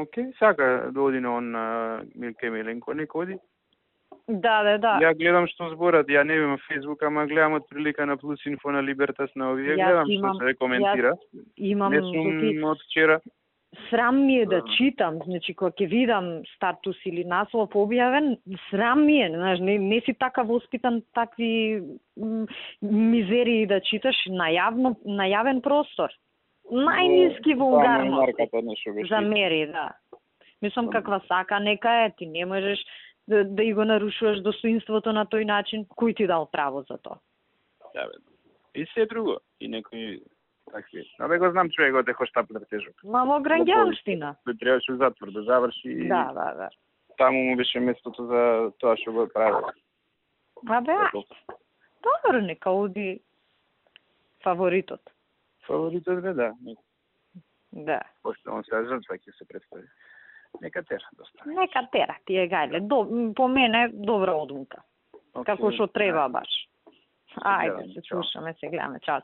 Окей, сака да оди на он Милке Миленко, нека оди. Да. Ја гледам што зборат, ја не имам Фейсбук, ама гледам од прилика на Плюс Инфо на Либертас на овие, гледам што се коментира. Имам не сум од вчера. Срам ми е да читам, значи кога ќе видам статус или наслов објавен, срам ми е, знаеш, не си така воспитан такви мизерии да читаш на јавен простор. Најниски вулгарност за мери, да. Мислам каква сака нека е, ти не можеш да и го нарушуваш достоинството на тој начин, кој ти дал право за тоа? Да, бе. И се друго, и некои такви. Абе го знам човекот е хоштаплер тежок. Мамо граѓанштина. Тој требаше у затвор да заврши. Да. Таму му беше местото за тоа што го прави. Абе, добро, нека оди фаворитот. Фаворитот бе, да. Да. Пошто он се жртва ќе се представи. Нека тера доста. Нека тера, ти е гајле. По мене добра одлука. Како што треба баш. Ајде, се слушаме, се гледаме. Чао.